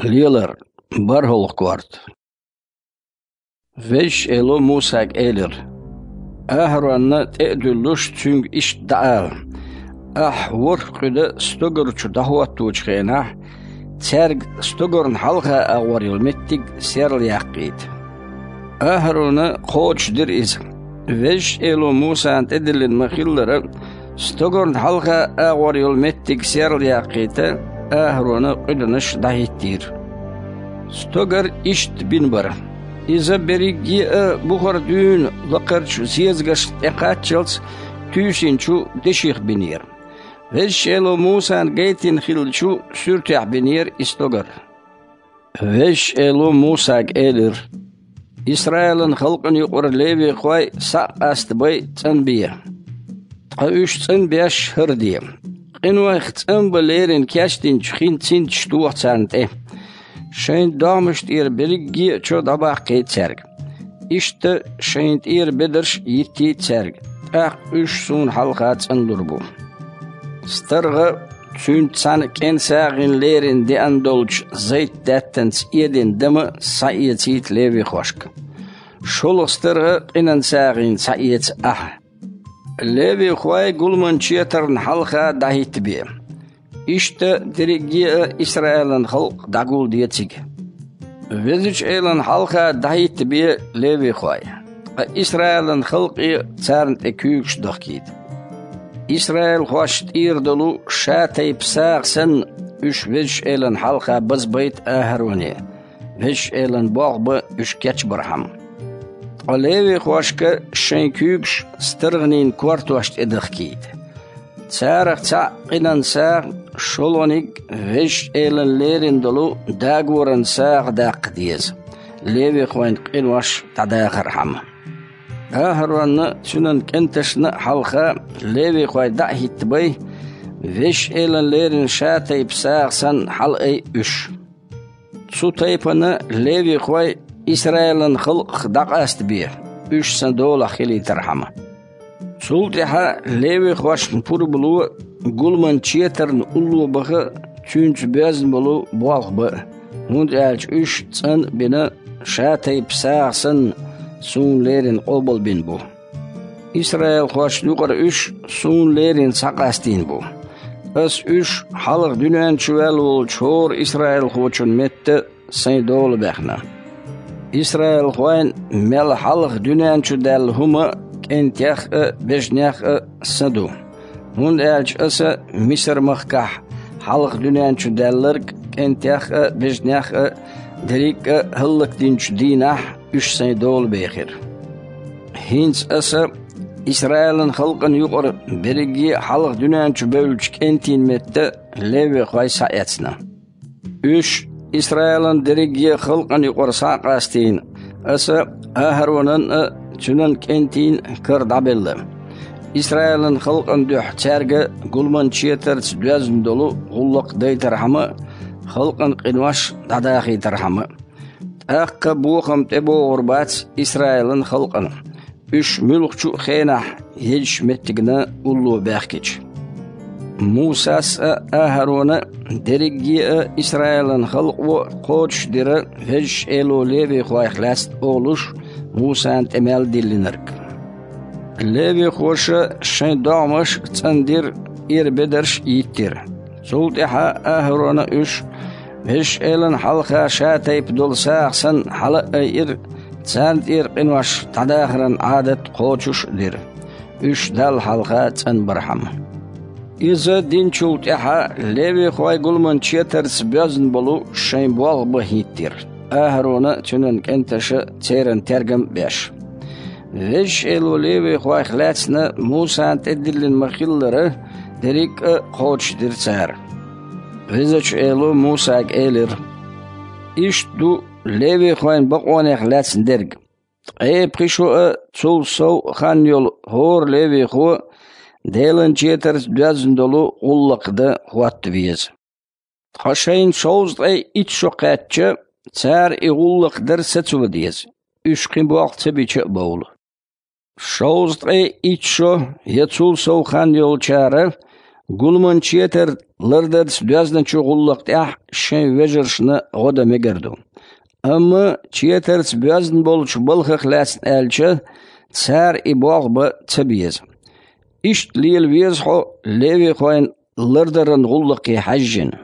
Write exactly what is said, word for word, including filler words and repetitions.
Лелар, бархӀалгӀа корта. Везачу Эло Мусага элира: «АхӀаронна тӀе а дуьллуш, цуьнга иштта дӀаала: „Ахь ворхӀ къуьда стогар чу дӀахӀотточу хенахь, цаьрга стогарна хьалха агӀор йолу меттиг серла яккхийта“». АхӀарона кхочушдира иза. Везачу Эло Мусана тӀедиллина ма-хиллара, стогарна хьалха агӀор йолу меттиг серла яккхийта, АхӀарона къуьданаш дӀахӀиттийра. Стогар иштта бина бара. Иза берриге а бухара дуьйна лакхарчу зезагашна тӀекхаччалц туьйсинчу деших бинера. Везачу Эло Мусана гайтина хиллачу суьртехь бинера и стогар. Везачу Эло Мусага элира: «Исраилан халкъана юкъара левихой схьа а къастабай, цӀанбе. Ткъа уьш цӀанбеш хӀара де. Къинойх цӀанбан лерина кечдинчу хин цинташ тоха царна тӀе. Шайн догӀмаш тӀера берриге а чо дӀабаккхийта цаьрга. Иштта шайна тӀера бедарш а йиттийта цаьрга, тӀаккха уьш суна хьалха цӀанлур бу. СтаргӀа, цуьнца цхьаьна кӀен сагӀина лерина деана долчу зайтдаьттанца эдина дама схьаэцийта левихошка. ШолгӀа старгӀа къинан сагӀина схьаэца ахьа. Левихой гуламан четарна хьалха дӀахӀиттабе. Иштта дерриге а Исраилан халкъ дӀагулде цига. Везачу Элана хьалха дӀахӀиттабе левихой, ткъа Исраилан халкъе царна тӀе куьйгаш дахкийта. Исраилхошна тӀера долу ша-тайпа сагӀа санна, уьш Везачу Элана хьалха базбайта АхӀароне, Везачу Элан болх бан уьш кечбархьама. Ткъа левихошка шайн куьйгаш старгӀанийн кортош тӀе дахкийта. Царах цхьаъ къинан сагӀа, шолгӀаниг Везачу Элана лерина долу дагоран сагӀа даккха деза, левихойн къинош дӀадахархьама. АхӀаронна а, цуьнан кӀенташна а хьалха левихой дӀа а хӀиттабай, Везачу Элана лерина ша-тайпа сагӀа санна хьалаайа уьш. Цу тайпана левихой Исраилан халкъах дӀакъастабе, уьш сан долахь хилийтархьама. Цул тӀаьхьа левихошна пурба ло гуламан четарна улло баха а, цуьнца боьзна болу болх бан а, хӀунда аьлча уьш цӀан а бина, ша-тайпа сагӀа санна, суна леррина къобалбина бу. Исраилхошна юкъара уьш суна леррина схьакъастийна бу. Аса уьш хьалха дуьнен чу ваьлла волчу хӀора исраилхочун метта сайн дола баьхна. Исраилхойн мел хьалха дуьнен чу даьлла хӀума кӀентех а, бежнех а сан ду, хӀунда аьлча аса Мисар-махкахь хьалха дуьнен чу даьлларг кӀентех а, бежнех а, дерриг а хӀаллакдинчу дийнахь уьш сайн дола бехира. ХӀинца аса Исраилан халкъана юкъара берриге а хьалха дуьнен чу бевллачу кӀентийн метта левихой схьаэцна. Уьш Исраилан дерриге а халкъана юкъара схьа а къастийна, аса АхӀаронан а, цуьнан кӀентийн а кара дӀабелла. Исраилан халкъана дуьхьа цаьрга гуламан четарца доьзна долу гӀуллакх дайтархьама а, халкъан къинош дӀадахийтархьама а. ТӀаккха бохам тӀебогӀур бац Исраилан халкъана, уьш муьлххачу а хенахь езачу меттигна улло баьхкича. Мусас а, АхӀарона а, дерриге а Исраилан халкъо а кхочушдира Везачу Эло левихойх лаьцна олуш, Мусана тӀе мел диллинарг. Левихоша шайн догӀмаш а цӀандира, тӀера бедарш а йиттира. Цул тӀаьхьа АхӀарона уьш Везачу Элана хьалха ша-тайпа долу сагӀа санна хьала а айира, царна тӀера къинош дӀадахаран Ӏадат кхочуш а дира, уьш Далла хьалха цӀанбархьама. Иза динчул тӀаьхьа левихой гуламан четарца боьзна болу шайн болх бан хӀиттира, АхӀарона а, цуьнан кӀенташа а церан тергам а беш. Везачу Эло левихойх лаьцна Мусана тӀедиллина ма-хиллара, дерриг а кхочушдира цара. Везачу Эло Мусага элира: «Иштта ду левихойн бакъонех лаьцна дерг: ткъе пхи шо а, цул сов а хан йолу хӀора левихо Делан четарца доьзна долу гӀуллакх дан хӀотта веза. Ткъа шайна шовзткъе итт шо кхаьчча, цара и гӀуллакх дар сацо деза, уьш кхин болх ца бича а бовла. Шовзткъе итт шо я цул сов хан йолчара Гуламан четар лардарца доьзначу гӀуллакх тӀехь шайн вежаршна гӀо дан мегар ду. Амма четарца боьзна болчу балхах лаьцна аьлча, цара и болх бан ца беза. Иштта лела веза хьо левихойн лардаран гӀуллакхе хьаьжжина.